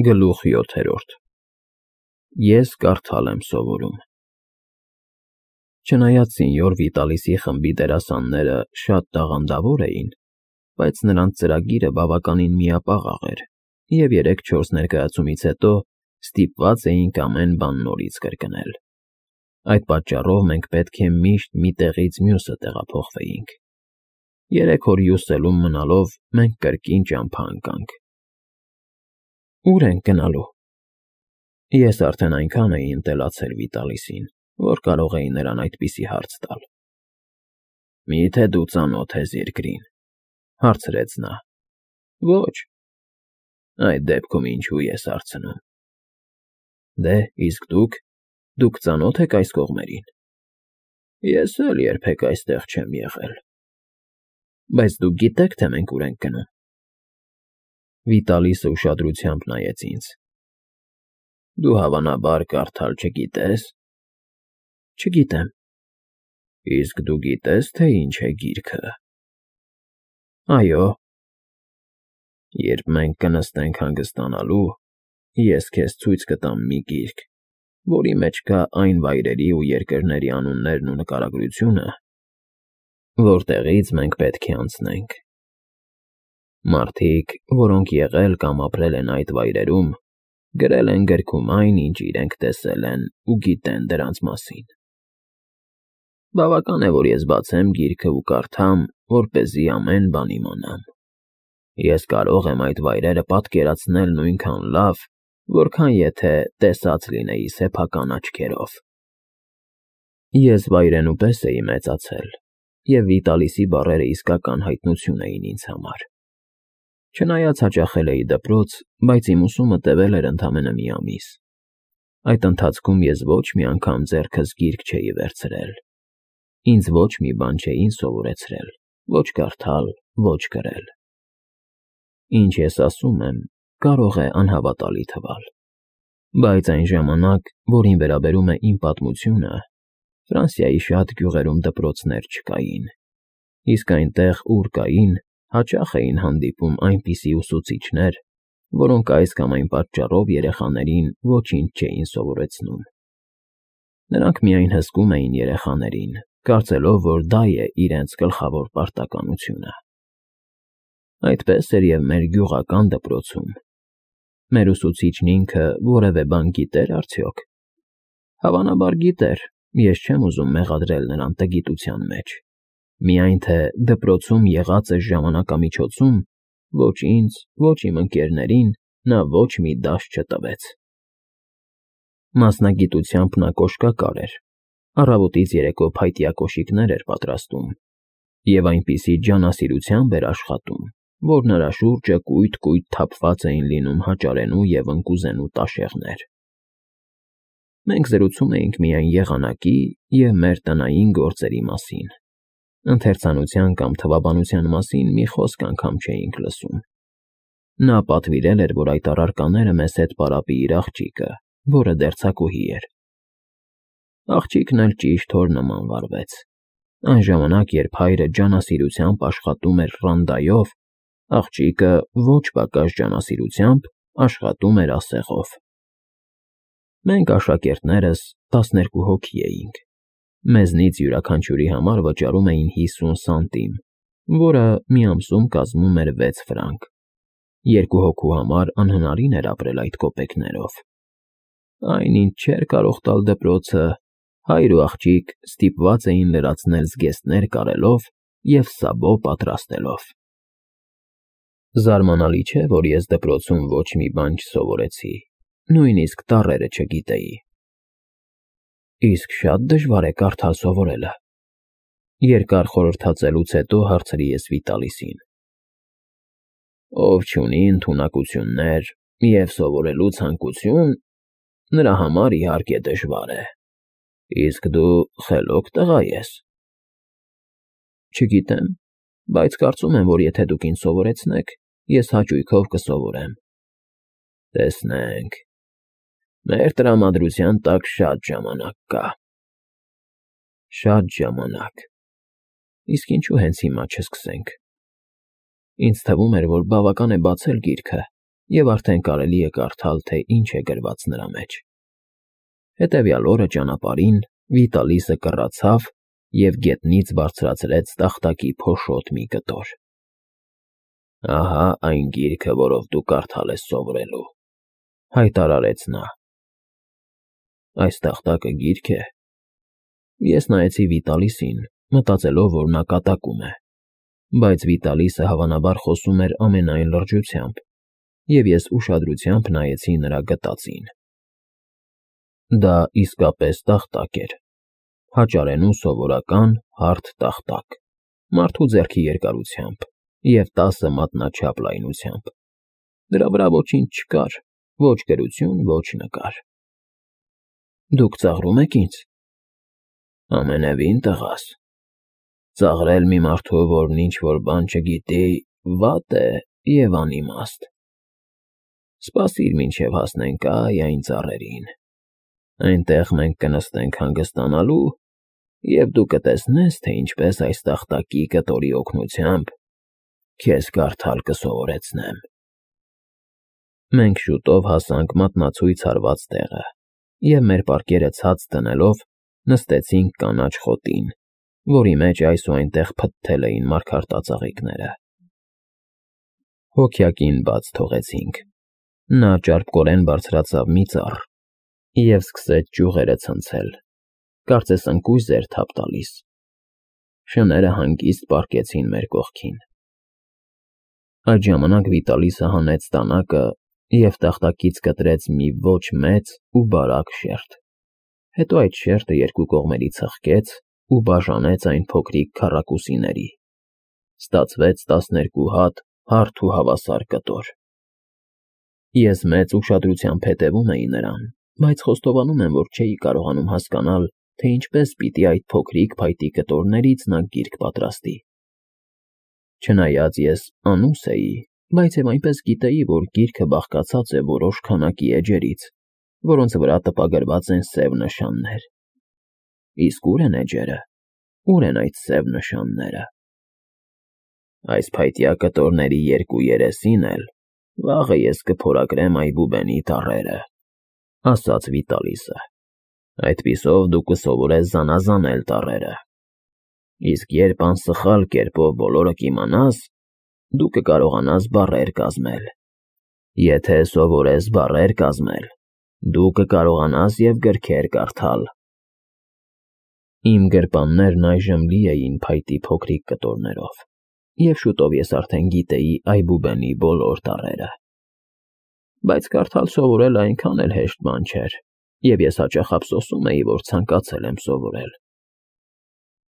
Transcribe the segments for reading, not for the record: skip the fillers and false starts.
Գլուխ 7. Ես կարդալ եմ սովորում։ Չնայած սենյոր Վիտալիսի խմբի դերասանները շատ տաղանդավոր էին, բայց նրանց ծրագիրը բավականին միապաղաղ էր, և 3-4 ներկայացումից հետո ստիպված էինք ամեն բան նորից կրկնել։ Այդ պատճառով մենք պետք է միշտ մի տեղից մյուսը տեղափոխվեինք։ 3 օր հյուսելում մնալով մենք կրկին ճամփա ընկանք։ Ո՞ւր ենք գնալու։ Ես արդեն այնքան էի ընտելացել Վիտալիսին, որ կարող էի նրան այդպիսի հարց տալ։ Մի՞թե դու ծանոթ ես երկրին, հարցրեց նա։ Ոչ։ Այդ դեպքում ինչու ես հարցնում։ Դե, իսկ դուք ծանոթ եք այս կողմերին։ Ես էլ երբեք այստեղ չեմ եղել։ Բայց դուք գիտեք, թե մենք ուր ենք գնում։ Վիտալիսը ուշադրությամբ նայեց ինձ։ Դու հավանաբար կարդալ չգիտես։ Չգիտեմ։ Իսկ դու գիտես, թե ինչ է գիրքը։ Այո։ Երբ մենք կնստենք հանգստանալու, ես քեզ ցույց կտամ մի գիրք, որի մեջ կա այն վայրերի ու երկրների անուններն ու նկարագրությունը, որտեղից մենք պետք է անցնենք։ Մարդիկ, որոնք եղել կամ ապրել են այդ վայրերում, գրել են գրքում այն, ինչ իրենք տեսել են ու գիտեն դրանց մասին։ Բավական է, որ ես բացեմ գիրքը ու կարդամ, որպեսզի ամեն բան իմանամ։ Ես կարող եմ այդ վայրերը պատկերացնել նույնքան լավ, որքան եթե տեսած լինեի սեփական աչքերով։ Ես վայրենու պես էի մեծացել, և Վիտալիսի բառերը իսկական հայտնություն էին ինձ համար։ Չնայած հաճախել էի դպրոց, բայց իմ ուսումը տևել էր ընդամենը մի ամիս։ Այդ ընթացքում ես ոչ մի անգամ ձեռքս գիրք չէի վերցրել։ Ինձ ոչ մի բան չէին սովորեցրել, ոչ կարդալ, ոչ գրել։ Ինչ ես ասում եմ, կարող է անհավատալի թվալ։ Բայց այն ժամանակ, որին վերաբերում է իմ պատմությունը, Ֆրանսիայի շատ գյուղերում դպրոցներ չկային, իսկ այնտեղ, ուր կային, հաճախ էին հանդիպում այնպիսի ուսուցիչներ, որոնք այս կամ այն պատճառով երեխաներին ոչինչ չէին սովորեցնում։ Նրանք միայն հսկում էին երեխաներին, կարծելով, որ դա է իրենց գլխավոր պարտականությունը։ Այդպես էր և մեր գյուղական դպրոցում։ Մեր ուսուցիչն ինքը որևէ բան գիտեր արդյոք։ Հավանաբար գիտեր, ես չեմ ուզում մեղադրել նրան տգիտության մեջ։ Միայն թե դպրոցում եղածը ժամանակամիջոցում ոչ ինձ, ոչ իմ ընկերներին նա ոչ մի դաս չտվեց։ Մասնագիտությամբ նա կոշկակար էր, առավոտից երեկո փայտյա կոշիկներ էր պատրաստում և այնպիսի ջանասիրությամբ էր աշխատում, որ նրա շուրջը կույտ թափված էին լինում հաճարենու և ընկուզենու տաշեղներ։ Մենք զրուցում էինք միայն եղանակի և մեր տնային գործերի մասին։ Ընթերցանության կամ թվաբանության մասին մի խոսք անգամ չէինք լսում։ Նա պատվիրել էր, որ այդ առարկաները մեզ հետ պարապի իր աղջիկը, որը դերձակուհի էր։ Աղջիկն էլ ճիշտ հոր նման վարվեց։ Այն ժամանակ, երբ հայրը ջանասիրությամբ աշխատում էր ռանդայով, աղջիկը ոչ պակաս ջանասիրությամբ աշխատում էր ասեղով։ Մենք աշակերտներս 12 հոգի էինք։ Մեզնից յուրաքանչյուրի համար վճարում էին 50 սանտիմ, որը մի ամսում կազմում էր 6 ֆրանկ։ 2 հոգու համար անհնարին էր ապրել այդ կոպեկներով։ Այն, ինչ չէր կարող տալ դպրոցը, հայր ու աղջիկ ստիպված էին լրացնել զգեստներ կարելով և սաբո պատրաստելով։ Զարմանալի չէ, որ ես դպրոցում ոչ մի բան չսովորեցի, նույնիսկ տառերը չգիտեի։ Իսկ շատ դժվար է կարդալ սովորելը։ Երկար խորհրդածելուց հետո հարցրի ես Վիտալիսին։ Ով չունի ընդունակություններ և սովորելու ցանկություն, նրա համար իհարկե դժվար է։ Իսկ դու խելոք տղա ես։ Չգիտեմ, բայց կարծում եմ, որ եթե դուք ինձ սովորեցնեք, ես հաճույքով կսովորեմ։ Տեսնենք։ Մեր տրամադրության տակ շատ ժամանակ կա։ Շատ ժամանակ։ Իսկ ինչու հենց հիմա չսկսենք։ Ինձ թվում էր, որ բավական է բացել գիրքը և արդեն կարելի է կարդալ, թե ինչ է գրված նրա մեջ։ Հետևյալ օրը ճանապարհին Վիտալիսը կռացավ և գետնից բարձրացրեց տախտակի փոշոտ մի կտոր։ «Ահա այն գիրքը, որով դու կարդալ ես սովորելու», հայտարարեց նա։ «Այս տախտակը գիրք է»։ Ես նայեցի Վիտալիսին, մտածելով, որ նա կատակում է, բայց Վիտալիսը հավանաբար խոսում էր ամենայն լրջությամբ, և ես ուշադրությամբ նայեցի նրա գտածին։ Դա իսկապես տախտակ էր, հաճարենու սովորական հարթ տախտակ, մարդու ձեռքի երկարությամբ և 10 մատնաչափ լայնությամբ։ Դրա վրա ոչինչ չկար, ոչ գրություն, ոչ նկար։ «Դուք ծաղրում եք ինձ»։ «Ամենևին, տղաս, ծաղրել մի մարդու, որն ինչ-որ բան չգիտի, վատ է և անիմաստ։ Սպասիր, մինչև հասնենք այն ծառերին։ Այնտեղ մենք կնստենք հանգստանալու, և դու կտեսնես, թե ինչպես այս տախտակի կտորի օգնությամբ քեզ կարդալ կսովորեցնեմ»։ Մենք շուտով հասանք մատնացույց հարված տեղը և մեր պարկերը ցած դնելով նստեցինք կանաչ խոտին, որի մեջ այս ու այնտեղ փթթել էին մարգարտածաղիկները։ Հոգյակին բաց թողեցինք։ Նա ճարպկորեն բարձրացավ մի ծառ և սկսեց ճյուղերը ցնցել, կարծես ընկույզ էր թափ տալիս։ Շները հանգիստ պառկեցին մեր կողքին։ Այդ ժամանակ Վիտալիսը հանեց տանակը և տախտակից կտրեց մի ոչ մեծ ու բարակ շերտ, հետո այդ շերտը երկու կողմերի թխկեց ու բաժանեց այն փոքրիկ քառակուսիների։ Ստացվեց 12 հատ հարթ ու հավասար կտոր։ Ես մեծ ուշադրությամբ հետևում էի նրան, բայց խոստովանում եմ, որ չէի կարողանում հասկանալ, թե ինչպես պիտի այդ փոքրիկ փայտի կտորներից նա գիրք պատրաստի։ Չնայած ես անուս էի, բայց և այնպես գիտեի, որ գիրքը բաղկացած է որոշ քանակի էջերից, որոնց վրա տպագրված են սև նշաններ։ Իսկ ո՞ւր են էջերը, ո՞ւր են այդ սև նշանները։ Այս փայտյա կտորների երկու երեսին էլ վաղը ես կփորագրեմ այբուբենի տառերը, ասաց Վիտալիսը։ Այդպիսով դու կսովորես զանազանել տառերը։ Իսկ երբ անսխալ կերպով բոլորը կիմանաս, դու կկարողանաս բառեր կազմել։ Եթե սովորես բառեր կազմել, դու կկարողանաս և գրքեր կարդալ։ Իմ գրպաններն այժմ լի էին փայտի փոքրիկ կտորներով, և շուտով ես արդեն գիտեի այբուբենի բոլոր տառերը։ Բայց կարդալ սովորելը այնքան էլ հեշտ բան չէր, և ես հաճախ ափսոսում էի, որ ցանկացել եմ սովորել։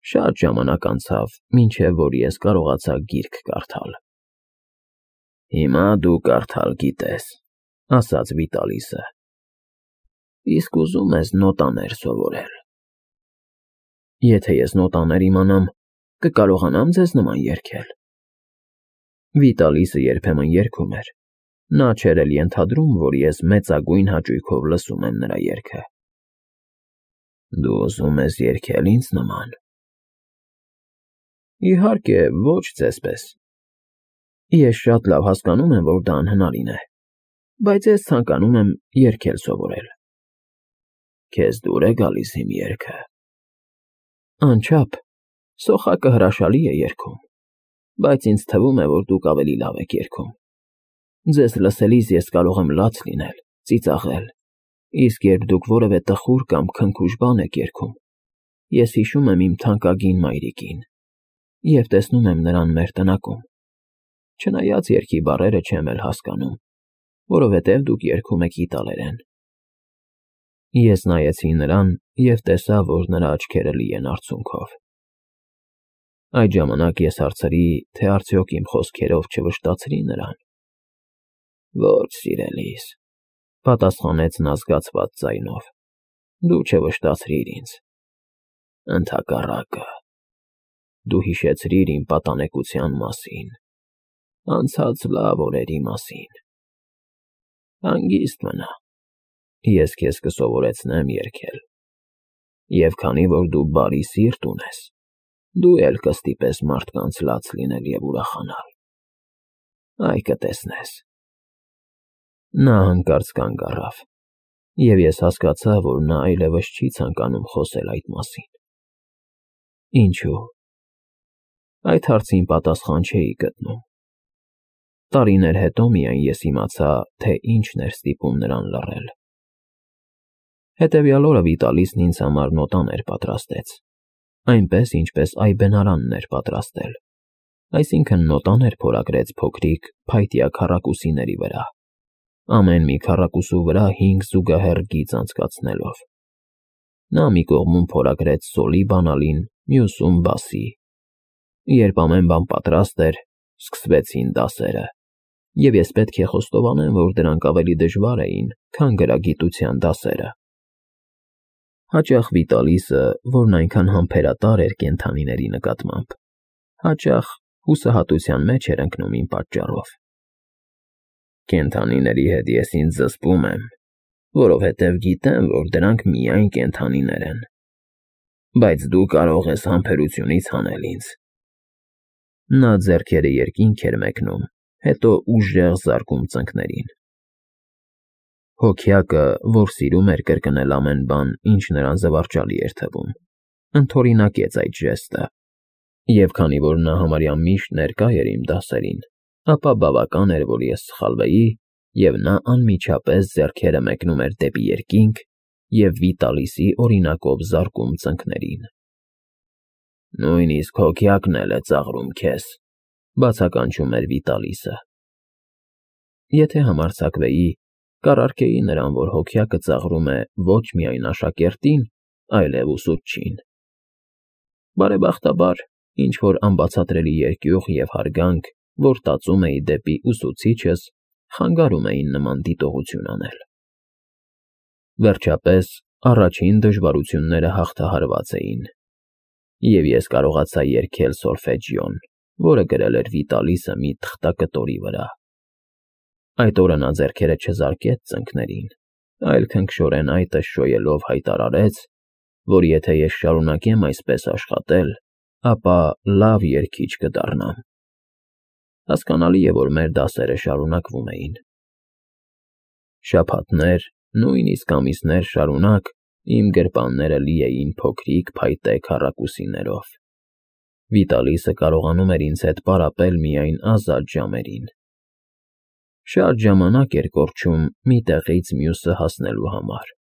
Շատ ժամանակ անցավ, մինչև որ ես կարողացա գիրք կարդալ։ «Հիմա դու կարդալ գիտես», ասաց Վիտալիսը։ «Իսկ ուզում ես նոտաներ սովորել»։ Եթե ես նոտաներ իմանամ, կկարողանա՞մ ձեզ նման երգել։ Վիտալիսը երբեմն երգում էր։ Նա չէր էլ ենթադրում, որ ես մեծագույն հաճույքով լսում եմ նրա երգը։ Դու ուզում ես երգել ինձ նման։ Իհարկե, ոչ ձեզպես։ Ես շատ լավ հասկանում եմ, որ դա անհնարին է, բայց ես ցանկանում եմ երգել սովորել։ Քեզ դուր է գալիս իմ երգը։ Անչափ, սոխակը հրաշալի է երգում, բայց ինձ թվում է, որ դուք ավելի լավ եք երգում։ Ձեզ լսելիս ես կարող եմ լաց լինել, ծիծաղել, իսկ երբ դուք որևէ տխուր կամ քնքուշ բան եք երգում, ես հիշում եմ իմ թանկագին մայրիկին և տեսնում եմ նրան մեր տնակում, չնայած երգի բառերը չեմ էլ հասկանում, որովհետև դուք երգում եք իտալերեն։ Ես նայեցի նրան և տեսա, որ նրա աչքերը լի են արցունքով։ Այդ ժամանակ ես հարցրի, թե արդյոք իմ խոսքերով չվշտացրի նրան։ Ոչ, սիրելիս, պատասխանեց նա զգացված ձայնով, դու չվշտացրիր ինձ։ Ընդհակառակը, դու հիշեցրիր իմ պատանեկության մասին, անցած լավ օրերի մասին։ Հանգիստ մնա, ես քեզ կսովորեցնեմ երգել, և քանի որ դու բարի սիրտ ունես, դու էլ կստիպես մարդկանց լաց լինել և ուրախանալ։ Այ կտեսնես։ Նա հանկարծ կանգ առավ, և ես հասկացա, որ նա այլևս չի ցանկանում խոսել այդ մասին։ Ինչու՞։ Այդ հարցին պատասխան չէի գտնում։ Տարիներ հետո միայն ես իմացա, թե ինչն էր ստիպում նրան լռել։ Հետևյալ օրը Վիտալիսն ինձ համար նոտաներ պատրաստեց, այնպես, ինչպես այբենարանն էր պատրաստել, այսինքն նոտաներ փորագրեց փոքրիկ, փայտյա քառակուսիների վրա, ամեն մի քառակուսու վրա 5 զուգահեռ գիծ անցկացնելով։ Նա մի կողմում փորագրեց սոլի բանալին, մյուսում՝ բասի։ Երբ ամեն բան պատրաստ էր, սկսվեցին դասերը, և ես պետք է խոստովանեմ, որ դրանք ավելի դժվար էին, քան գրագիտության դասերը։ Հաճախ Վիտալիսը, որն այնքան համբերատար էր կենդանիների նկատմամբ, հաճախ հուսահատության մեջ էր ընկնում իմ պատճառով։ Կենդանիների հետ ես ինձ զսպում եմ, որովհետև գիտեմ, որ դրանք միայն կենդանիներ են, բայց դու կարող ես համբերությունից հանել ինձ։ Նա ձեռքերը երկինք էր մեկնում, հետո ուժեղ զարկում ծնկներին։ Հոգյակը, որ սիրում էր կրկնել ամեն բան, ինչ նրան զվարճալի էր թվում, ընդօրինակեց այդ ժեստը, և քանի որ նա համարյա միշտ ներկա էր իմ դասերին, ապա բավական էր, որ ես սխալվեի, և նա անմիջապես ձեռքերը մեկնում էր դեպի երկինք և Վիտալիսի օրինակով զարկում ծնկներին։ Նույնիսկ հոգյակն էլ է ծաղրում քեզ, բացականչում էր Վիտալիսը։ Եթե համարձակվեի, կառարկեի նրան, որ հոգյակը ծաղրում է ոչ միայն աշակերտին, այլև ուսուցչին։ Բարեբախտաբար, ինչ-որ անբացատրելի երկյուղ և հարգանք, որ տածում էի դեպի ուսուցիչս, խանգարում էին նման դիտողություն անել։ Վերջապես, առաջին դժվարությունները հաղթահարված էին, և ես կարողացա երգել սոլֆեջիոն, որը գրել էր Վիտալիսը մի թղթակտորի վրա։ Այդ օրը նա ձեռքերը չզարկեց ծնկներին, այլ քնքշորեն այտը շոյելով հայտարարեց, որ եթե ես շարունակեմ այսպես աշխատել, ապա լավ երգիչ կդառնամ։ Հասկանալի է, որ մեր դասերը շարունակվում էին։ Շաբաթներ, նույնիսկ ամիսներ շարունակ իմ գրպանները լի էին փոքրիկ փայտե քառակուսիներով։ Վիտալիսը կարողանում էր ինձ հետ պարապել միայն ազատ ժամերին։ Շատ ժամանակ էր կորչում մի տեղից մյուսը հասնելու համար։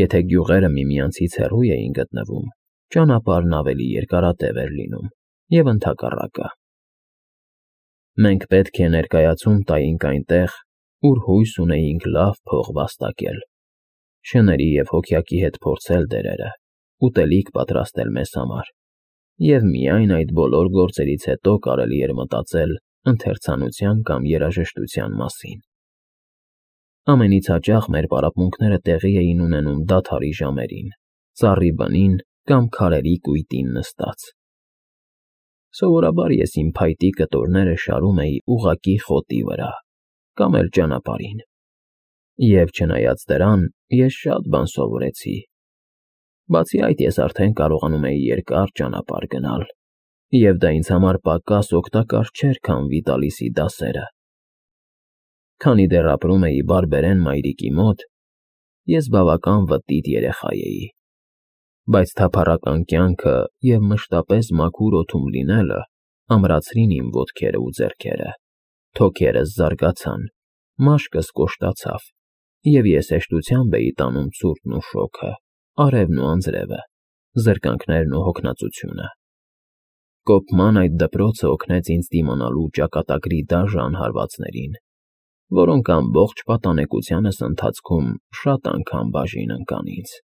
Եթե գյուղերը միմյանցից հեռու էին գտնվում, ճանապարհն ավելի երկարատև էր լինում, և ընդհակառակը։ Մենք պետք է ներկայացում տայինք այնտեղ, ուր հույս ունեինք լավ փող վաստակել, շների և հոգյակի հետ փորձել դերերը, ուտելիք պատրաստել մեզ համար, և միայն այդ բոլոր գործերից հետո կարելի էր մտածել ընթերցանության կամ երաժշտության մասին։ Ամենից հաճախ մեր պարապմունքները տեղի էին ունենում դադարի ժամերին, ծառի բնին կամ քարերի կույտին նստած։ Սովորաբար ես իմ փայտի կտորները շարում էի ուղղակի խոտի վրա կամ էլ ճանապարհին, և չնայած դրան, ես շատ բան սովորեցի։ Բացի այդ, ես արդեն կարողանում էի երկար ճանապարհ գնալ, և դա ինձ համար պակաս օգտակար չէր, քան Վիտալիսի դասերը։ Քանի դեռ ապրում էի բարբերեն մայրիկի մոտ, ես բավական վտիտ երեխա էի, բայց թափառական կյանքը և մշտապես մաքուր օդում լինելը ամրացրին իմ ոտքերը ու ձեռքերը, թոքերս զարգացան, մաշկս կոշտացավ, և ես հեշտությամբ էի տանում ցուրտն ու շոգը, արևն ու անձրևը, զրկանքներն ու հոգնածությունը։ Կոպման այդ դպրոցը օգնեց ինձ դիմանալու ճակատագրի դաժան հարվածներին, որոնք ամբողջ պատանեկությանս ընթացքում շատ անգամ բաժին ընկան ինձ։